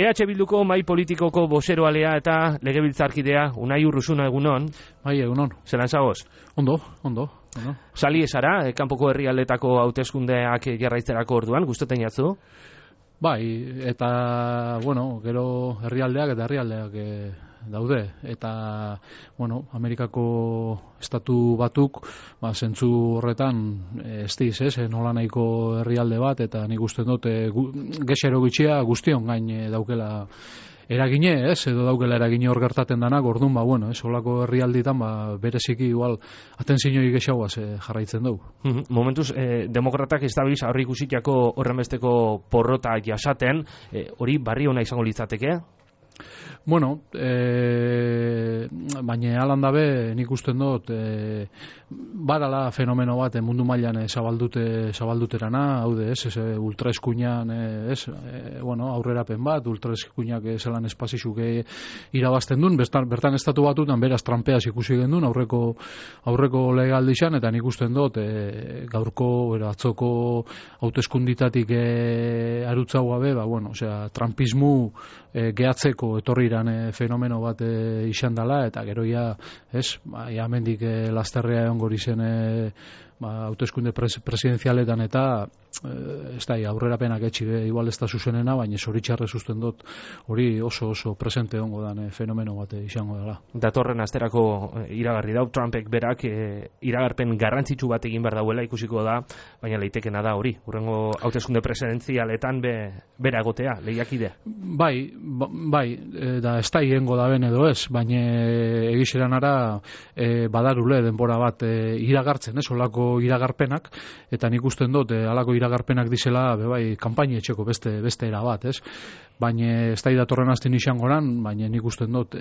EH Bilduko mai politikoko bozeroalea eta legebiltzarkidea Unai Urruzuna egunon. Bai, egunon. Zelan zagoz? Ondo. Sali esara, kanpoko herrialdetako hauteskundeak jarraitzerako orduan, gustatzen jatzu? Bai, eta, gero herrialdeak daude. Eta, Amerikako estatu batuk, zentzu horretan, nola nahiko herrialde bat, eta nik uste dut, gexero gutxia guztion gain daukela eragine, edo daukela eragine hor gertaten danak, orduan, holako herrialditan, bereziki igual, atenzioi gexauaz jarraitzen dugu. Momentuz, demokratak ez dabiz aurri ikusitiako horrenbesteko porrota jasaten, hori barri hona izango litzateke? Baina alan dabe nik usten dut badala fenomeno bat mundu mailan zabalduterana, haude, ultraeskuinan, aurrerapen bat, ultraeskuinak zelan espazizuk irabazten duen, bertan estatu batutan beraz trampeaz ikusi gendun, aurreko legaldi izan, eta nik usten dut gaurko, atzoko hauteskunditatik arutzago gabe, trampismu gehatzeko etorriran fenomeno bat izan dela, eta gero hemendik lasterrea egon gori zen hauteskunde presidenzialetan, eta ez da, aurrerapenak etxi igual ez da zuzenena, baina zoritxarrez usten dut hori oso presente egongo dan fenomeno bat izango dela. Datorren asterako iragarri dau, Trumpek berak iragarpen garrantzitsu bat egin behar dauela ikusiko da, baina leitekena da hori, hurrengo hauteskunde presidenzialetan bera egotea, lehiakidea. Bai, da ez da hiengo da ben edo ez, baina egizeran ara badarule denbora bat iragartzen, olako iragarpenak, eta nik usten dut alako iragarpenak dizela kanpaini etxeko beste era bat, baina ez da datorren azten izango lan, baina nik usten dut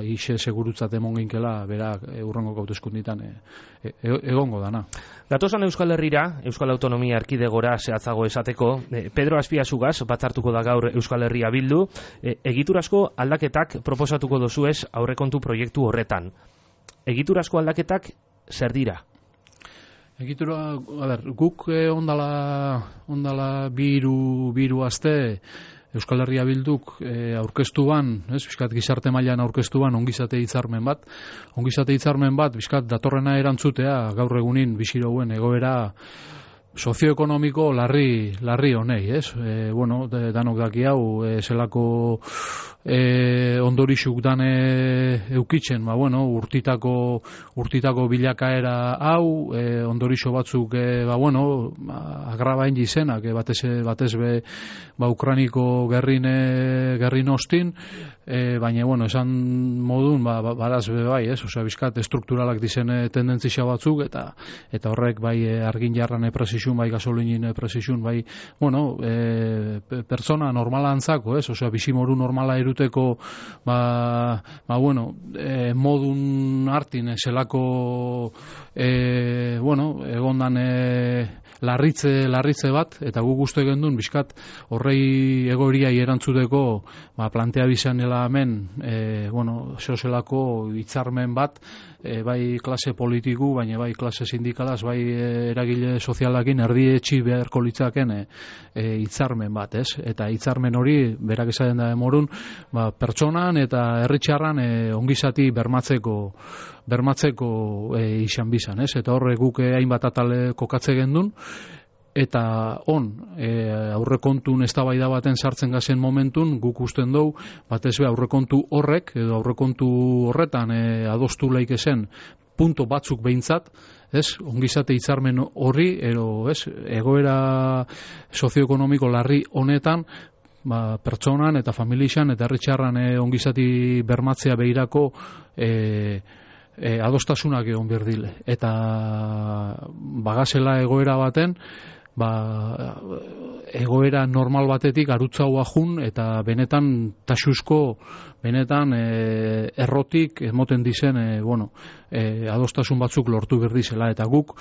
ise segurutzat emon ginkela berak urrengo hauteskunditan egongo dana. Gatozan Euskal Herrira, Euskal Autonomia Erkidegora zehatzago esateko, Pedro Azpiazugaz batzartuko da gaur Euskal Herria Bildu, egiturazko aldaketak proposatuko dozuez aurrekontu proiektu horretan. Egiturazko aldaketak zer dira? Egitura, guk ondala biru aste Euskal Herria Bilduk aurkeztuan, bizkat gizarte mailan aurkeztuan ongizate hitzarmen bat, bizkat datorrena erantzutea gaur egunin bizirouen egoera sozioekonomiko larri honei, danok daki hau, zelako ondorixuk dan eukitzen, urtitako bilakaera hau, ondorixo batzuk, agrabain izenak, batez be, Ukraniko gerrin ostin, baina, esan modun, badaz be bai, bizkat estrukturalak dizen tendentzia batzuk, eta horrek bai argin jarran presizun, bai gasolinin presizun, bai, pertsona normala antzako, bizimoru normala eruteko, modun hartin, zelako, egondan larritze bat, eta guk uste gendun, bizkat, horrei egoeriai erantzuteko, plantea bizanela hemen, zelako hitzarmen bat, bai klase politiku, baina bai klase sindikalaz, bai eragile sozialakin erdietxi beharko litzaken hitzarmen bat, eta hitzarmen hori, berak esaten da demorun, pertsonan eta herritxarran ongizati bermatzeko izan bizan, eta horre guk hainbat atale kokatze gendun, eta aurrekontun eztabaida baten sartzen gazen momentun, guk usten dugu, batez be aurrekontu horrek, edo aurrekontu horretan adostu laike zen punto batzuk behintzat, ongizate hitzarmen horri, egoera sozioekonomiko larri honetan, pertsonan eta familixan eta herritxarran ongizati bermatzea behirako adostasunak egon berdile. Eta bagazela egoera baten, egoera normal batetik arutzaua jun eta benetan taxuzko, benetan errotik emoten dizen adostasun batzuk lortu berdizela, eta guk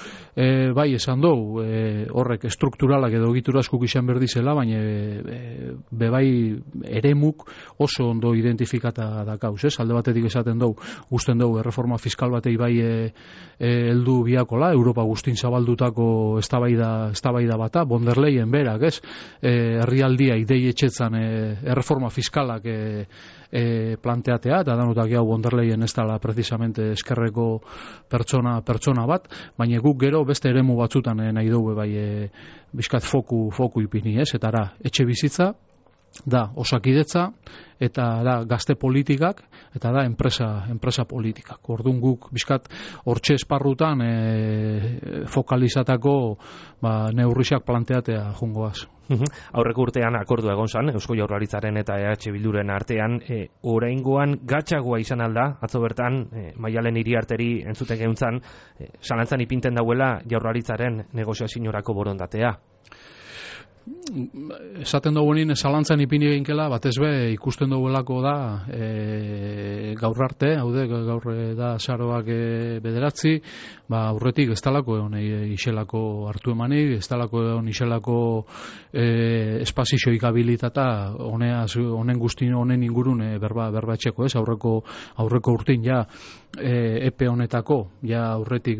bai esan dugu horrek strukturalak edo egituraskuk izan berdizela, baina bebai eremuk oso ondo identifikata dakauz, alde batetik esaten dugu, gusten dugu erreforma fiskal batei bai heldu biakola, Europa guztin zabaldutako eztabaida eztabaida bata, von der Leyen berak, ez? Herrialdia idei etxetzan erreforma fiskalak planteatea, eta danutak jau von der Leyen ez dela precisamente eskerreko pertsona bat, baina guk gero beste eremu batzutan nahi dugu bai bizkat foku ipini, ez? Eta etxe bizitza, da osakidetza, eta da gazte politikak, eta da enpresa politikak. Orduan guk bizkat hortxe esparrutan fokalizatako neurriak planteatea jungoaz. Aurreko urtean akordua egon zan, Eusko Jaurlaritzaren eta EH Bilduren artean, oraingoan gatzagoa izan alda, atzo bertan, Maialen Iriarteri entzuten geuntzan, zalantzan ipinten dauela Jaurlaritzaren negoziaziorako borondatea. Esaten dugunin zalantzan ipini eginkela, batez be ikusten duguelako da gaur arte, gaur da saroak 9, aurretik ez talako egon iselako hartu emanik, ez talako egon iselako espazioik habilitata honen guztin, honen ingurun berba etxeko, ez? Aurreko urtin ja epe honetako, ja aurretik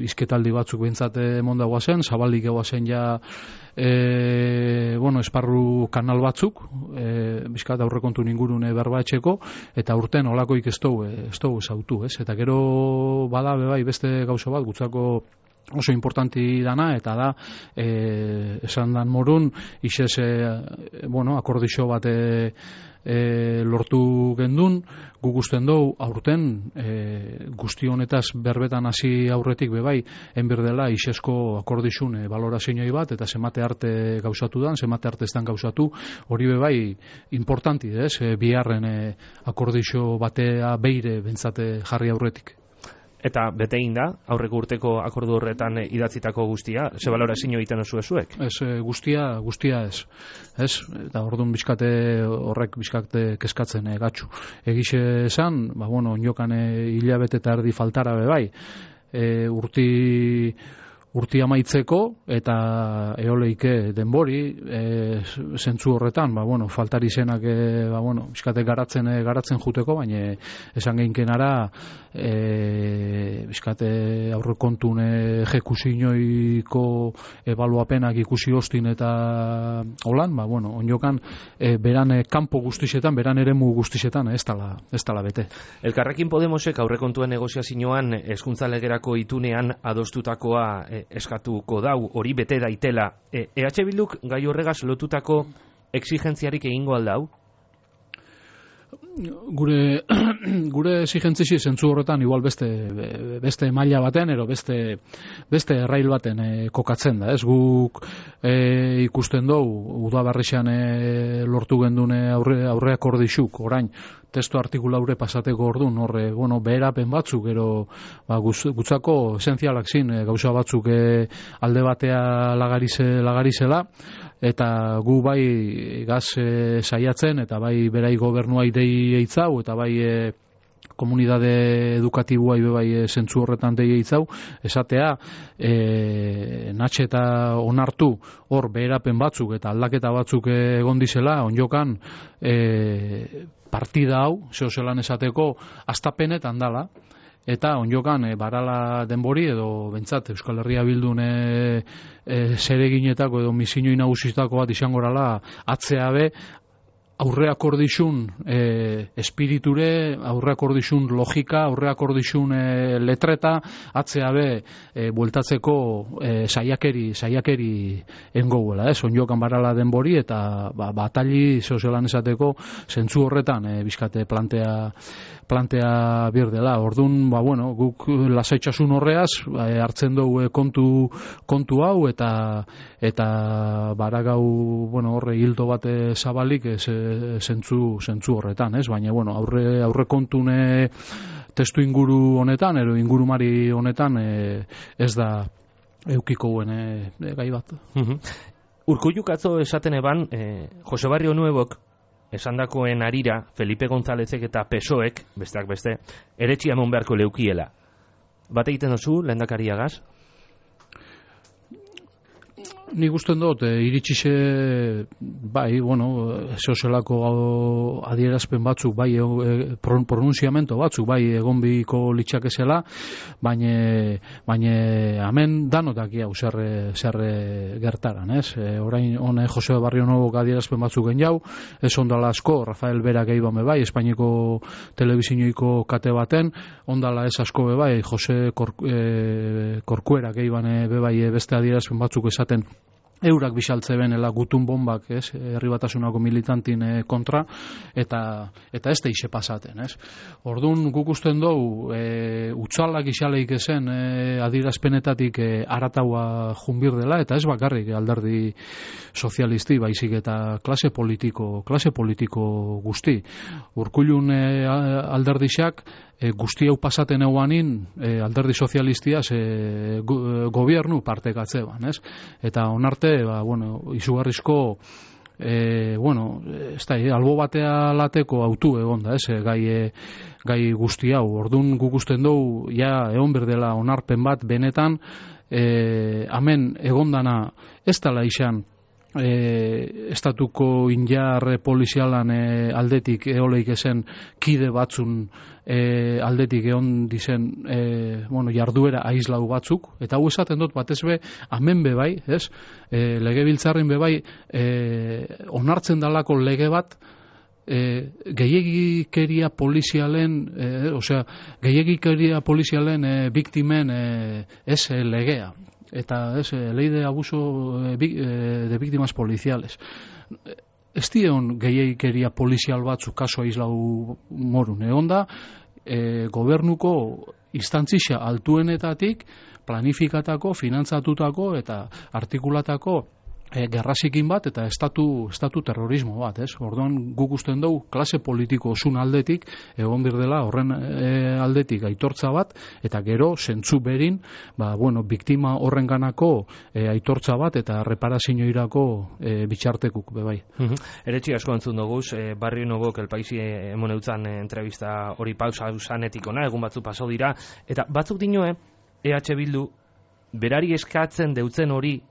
izketaldi batzuk behintzat emonda guazen, zabalik guazen ja esparru kanal batzuk, bizkat aurrekontu ingurune berba etxeko, eta urten olakoik ez dugu zautu, ez? Eta gero bada bebai beste gauza bat, gutzako oso importanti dana, eta da esan dan morun isez akordixo bat lortu gendun, guk usten dugu aurten guzti honetaz berbetan hasi aurretik bebai enberdela isezko akordixun balorazioi bat, eta zemate arte gauzatu dan, zemate arte ez dan gauzatu, hori bebai importanti, ez? Biharren akordixo batea beire bentsate jarri aurretik. Eta bete egin da, aurreko urteko akordu horretan idatzitako guztia, ze balorazio egiten oso ezuek? Ez, guztia ez. Ez? Eta orduan horrek bizkate keskatzen gatzu. Egixe esan, inokan hilabete eta erdi faltara bebai, urti amaitzeko eta eoleike denbori zentzu horretan, faltari zenak bizkate garatzen juteko, baina esan geinkenara bizkate aurrekontun ejekuzioiko ebaluapenak ikusi hostin eta holan, onjokan beran kanpo guztixetan, beran eremu guztixetan ez dala bete. Elkarrekin Podemosek aurrekontuen negoziazioan hezkuntza legerako itunean adostutakoa eskatuko dau, hori bete daitela. EH Bilduk gai horregaz lotutako exigentziarik egingo aldau? Gure exigentzisi zentzu horretan igual beste maila baten ero beste errail baten kokatzen da, ez? Guk ikusten dugu udaberrixan lortu gendune aurreak ordixuk, orain testu artikulaure pasateko orduan, horre, beherapen batzuk, gero gutzako esentzialak zin, gauza batzuk alde batea lagarizela, eta gu bai gaz saiatzen, eta bai berai gobernua idei eitzau, eta bai komunidade edukatibua bai zentzu horretan dei eitzau, esatea natxe eta onartu hor beherapen batzuk eta aldaketa batzuk egon dizela, onjokan partida hau, zelan esateko, astapenetan dala, eta onjokan barala denbori edo bentsat Euskal Herria Bildun zereginetako edo misinoi nagusitako bat izangorala atzeabe aurreak ordixun espiriture, aurreak ordixun logika, aurreak ordixun letreta, atzeabe bueltatzeko saiakeri engouela, onjokan barala denbori eta batali zelan esateko zentzu horretan bizkate plantea birdela. Orduan, guk lasaitxasun horreaz hartzen dugu kontu hau eta baragau horre hildo bat zabalik zentzu horretan, ez? Baina, aurre kontune testu inguru honetan, ero ingurumari honetan ez da eukiko guen gai bat. Urkulluk atzo esaten eban, Jose Barrio Nuevok esandakoen arira, Felipe Gonzálezek eta PSOEk, besteak beste, eretxia emon beharko leukiela. Bat egiten duzu, lehendakariagaz? Nik usten dut, iritsixe, bai, zeozelako adierazpen batzuk, bai, pronunziamento batzuk, bai, egon biko litzakezela, baina hemen danotak hau zer gertaran, ez? Orain, hone Jose Barrio Nobok adierazpen batzuk gen jau, ez ondala asko, Rafael Berak eiban bai, Espainiako telebizinoiko kate baten, ondala ez asko bai, Jose Corcuerak eiban bai beste adierazpen batzuk esaten, eurak bisaltze benela gutun bombak, ez, herri batasunako militantin kontra, eta ez da ise pasaten, ez. Orduan guk usten dugu, utxalak isaleik ezen adierazpenetatik arataua junbir dela, eta ez bakarrik alderdi sozialisti, baizik eta klase politiko guzti. Urkullun alderdixak, guzti hau pasaten euanin alderdi sozialistia gobiernu partekatze ban, ez? Eta onarte, izugarrizko albo batea lateko autu egon da, ez? Gai guzti hau. Ordun guk usten dugu, egon berdela onarpen bat benetan, hemen egondana ez dela izan estatuko injar polizialan aldetik eoleik esen kide batzun aldetik egon dizen jarduera aizlau batzuk, eta hau esaten dut batez be, hemen bebai, ez? Legebiltzarrin bebai onartzen dalako lege bat gehiegikeria polizialen biktimen ez legea. Eta ley de abuso de víctimas policiales. Ez dion gehiagikeria polizial batzuk kaso aizlau morun. Egon da, gobernuko instantzia altuenetatik planifikatako, finantzatutako eta artikulatako gerrazikin bat eta estatu terrorismo bat, ez? Orduan guk usten dugu klase politiko osun aldetik egon birdela horren aldetik aitortza bat eta gero zentzu berin biktima horrenganako aitortza bat eta reparazioirako bitxartekuk bebai. Eretxi asko entzun doguz, Barrio Nobok El Paisi emon eutzan entrevista hori pausa usanetik ona, egun batzu paso dira, eta batzuk dinoe EH Bildu berari eskatzen deutzen hori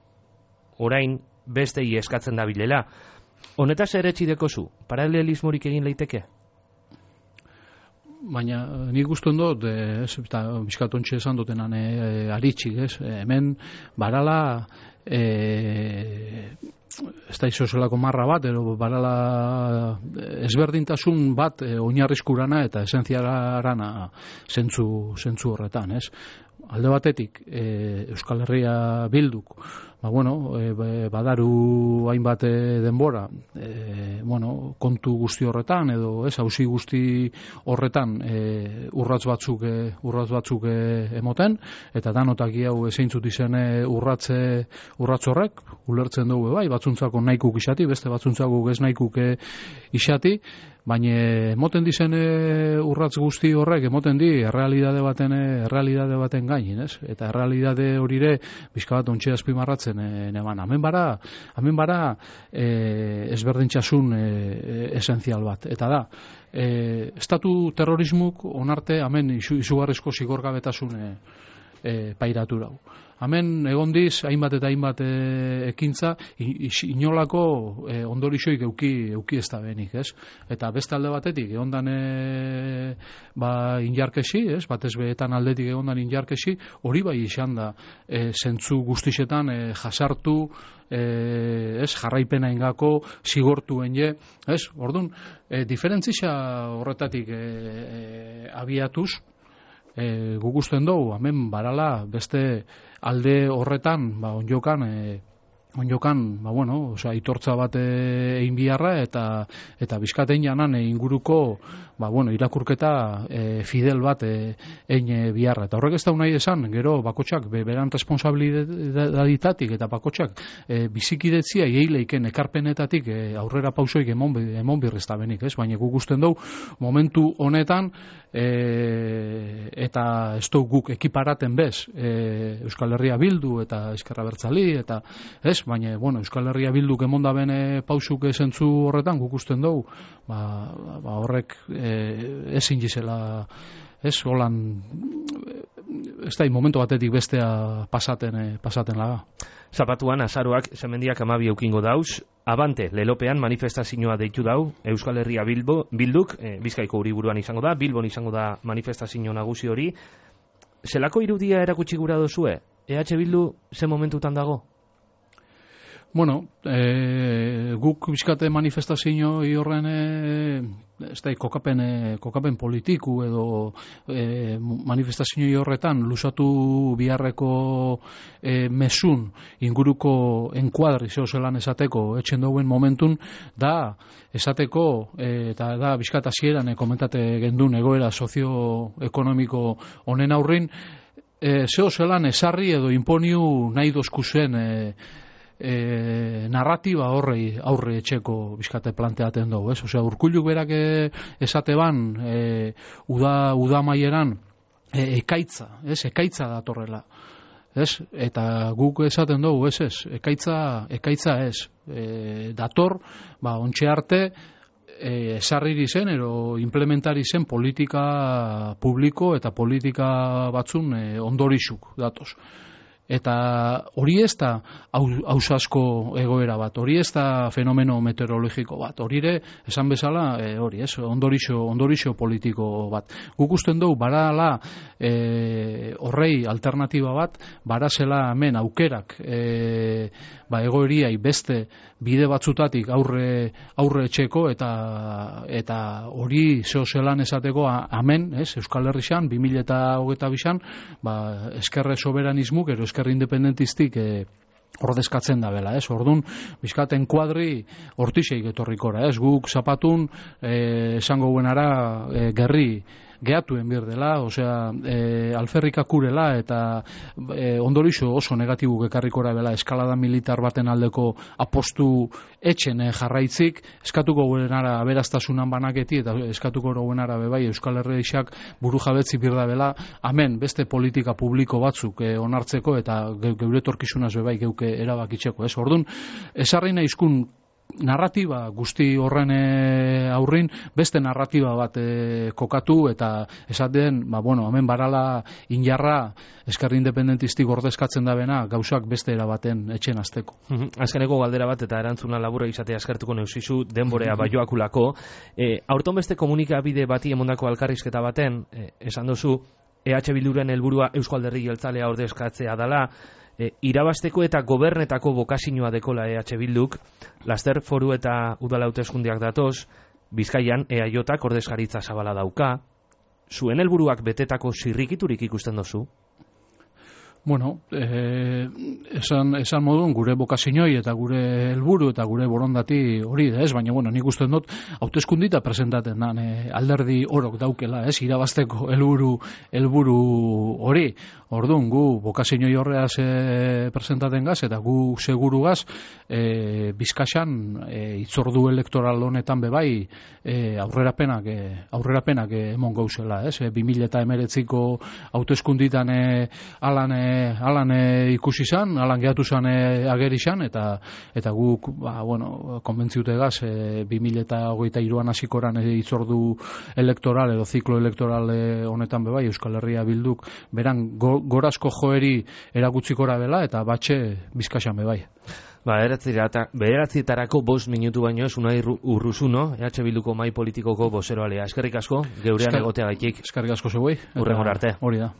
orain bestei eskatzen da bilela. Honetaz eretxi dekozu, paralelismorik egin leiteke? Baina nik usten dut, eta bizkatontxe esan dutenan aritxik, hemen barala ez da izozelako marra bat, barala ezberdintasun bat oinarrizkurana eta esentziarana zentzu horretan, ez? Alde batetik, Euskal Herria Bilduk, badaru hainbat denbora, kontu guzti horretan, edo auzi guzti horretan urratz batzuk emoten, eta danotak hau zeintzut izen urratz horrek, ulertzen dugu bai, batzuntzako nahikuk isati, beste batzuntzako ez nahikuk isati, baina emoten dizen urratz guzti horrek, emoten di errealidade baten gainin, ez? Eta errealidade horire bizka bat ontxe azpimarratzen neban. Hemen bara ezberdintxasun esentzial bat. Eta da, estatu terrorismuk onarte hemen izugarrizko zigorgabetasun pairatu dau. Hemen egondiz, hainbat eta hainbat ekintza, inolako ondorixoik euki ez da benik, ez? Eta beste alde batetik, egondan injarkesi, ez? Batez behetan aldetik egondan injarkesi, hori bai izan da, zentzu guztixetan jasartu, jarraipena ingako, zigortuen je, ez? Orduan, diferentzia horretatik abiatuz, guk usten dugu, hemen barala beste alde horretan, onjokan, itortza bat egin biharra eta bizkatein janan inguruko, irakurketa fidel bat egin biharra. Eta horrek ez da nahi esan, gero bakotxak beran responsabilidaditatik eta bakotxak bizikidetzia eileiken ekarpenetatik aurrera pausoik emon birrezta benik, ez? Baina guk usten dugu momentu honetan eta ez dugu guk ekiparaten bez Euskal Herria Bildu eta Ezkerra Abertzali eta ez, baina Euskal Herria Bilduk emonda bene pausuk zentzu horretan guk usten dugu horrek ezin gizela ez holan ez da, momentu batetik bestea pasaten laga. Zapatuan, azaroak, zemendiak 12 eukingo dauz, abante, lelopean manifestazioa deitu dau, Euskal Herria Bilduk, Bizkaiko hiriburuan izango da, Bilbon izango da manifestazio nagusi hori. Zelako irudia erakutsi gura dozue? EH Bildu ze momentutan dago? Bueno, guk bizkate manifestazio horren ez da, kokapen politiku edo manifestazio horretan lusatu biharreko mesun inguruko enkuadri zelan esateko etxen dauen momentun da esateko eta da bizkat hasieran komentate gendun egoera sozioekonomiko honen aurrin zelan esarri edo imponiu nahi dozkuzen narratiba aurre etxeko bizkate planteaten dugu, ez? Osea, Urkulluk berak esate ban uda maieran ekaitza datorrela, ez? Eta guk esaten dugu, ez? Ekaitza ez. Dator, ontxe arte esarriri zen ero implementari zen politika publiko eta politika batzun ondorizuk datoz. Eta hori ez da ausasko egoera bat, hori ez da fenomeno meteorologiko bat, hori ere, esan bezala, hori ez, ondorixo politiko bat. Guk usten dugu, barala horrei alternatiba bat, barazela hemen aukerak egoeriai beste bide batzutatik aurre etxeko eta hori zelan esateko hemen, Euskal Herrian, 2022an, eskerre soberanismuk, ero eskerre independentistik ordezkatzen da bela, Orduan, bizkaten kuadri hortixeik etorrikora, Guk zapatun esango buenara gerri gehatuen bir dela, osea, alferrikakurela eta ondorixo oso negatibu ekarrikora bela eskalada militar baten aldeko apostu etxen jarraitzik, eskatuko guenara aberastasunan banaketi eta eskatuko guenara bebai Euskal Herriak buru jabetzi bir da bela, hemen beste politika publiko batzuk onartzeko eta geure etorkizunaz bebai geuke erabakitzeko, Orduan, esarri nahizkun narratiba guzti horren aurrin beste narratiba bat kokatu eta esaten, hemen barala injarra eskerri independentistik ordezkatzen da bena gauzak beste erabaten etxen azteko. Azkeneko galdera bat eta erantzuna labura izatea eskertuko neusizu denborea baioakulako. Aurton beste komunikabide bati emondako alkarrizketa baten, esan duzu, EH Bilduren helburua Euzko Alderdi Jeltzalea ordezkatzea dela, irabasteko eta gobernetako bokazioa dekola EH Bilduk, laster foru eta udal hauteskundeak datoz, Bizkaian EAJak ordezkaritza zabala dauka, zuen helburuak betetako zirrikiturik ikusten dozu? Bueno, esan modun gure bokazioi eta gure helburu eta gure borondati hori da, baina nik usten dut hauteskundita presentaten da alderdi orok daukela, irabasteko helburu hori. Orduan, gu bokazioi horreaz presentaten gaz eta gu seguru gaz Bizkaian itzordu elektoral honetan bebai aurrerapenak emon gauzela, 2019ko hauteskunditan alan ikusi zan, alan gehatu zan ageri zan, eta guk, konbentziute gaz, 2023an hasikoran itzordu elektoral edo ziklo elektoral honetan bebai, Euskal Herria Bilduk, beran gorazko joeri erakutzikora dela, eta batxe Bizkaian bebai. Bederatzitarako 5 minutu baino ez Unai Urruzuno, EH Bilduko mahai politikoko bozeroalea. Eskerrik asko, geurean egoteagaitik. Eskerrik asko zeuei. Hurrengora arte. Hori da.